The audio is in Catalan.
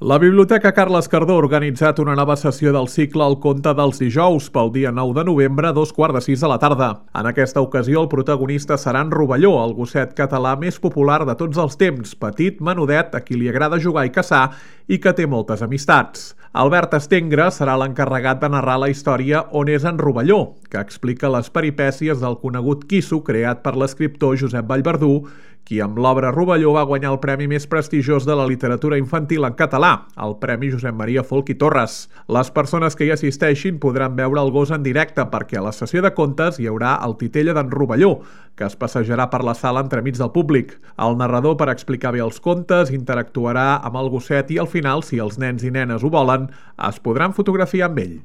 La Biblioteca Carles Cardó ha organitzat una nova sessió del cicle El conte dels dijous pel dia 9 de novembre a 2:15 de la tarda. En aquesta ocasió el protagonista serà en Rovelló, el gosset català més popular de tots els temps, petit, menudet, a qui li agrada jugar i caçar i que té moltes amistats. Albert Estengre serà l'encarregat de narrar la història On és en Rovelló, que explica les peripècies del conegut quisso creat per l'escriptor Josep Vallverdú, qui amb l'obra Rovelló va guanyar el premi més prestigiós de la literatura infantil en català, el Premi Josep Maria Folch i Torres. Les persones que hi assisteixin podran veure el gos en directe perquè a la sessió de contes hi haurà el titella d'en Rovelló, que es passejarà per la sala entremig del públic. El narrador, per explicar bé els contes, interactuarà amb el gosset i al final, si els nens i nenes ho volen, es podran fotografiar amb ell.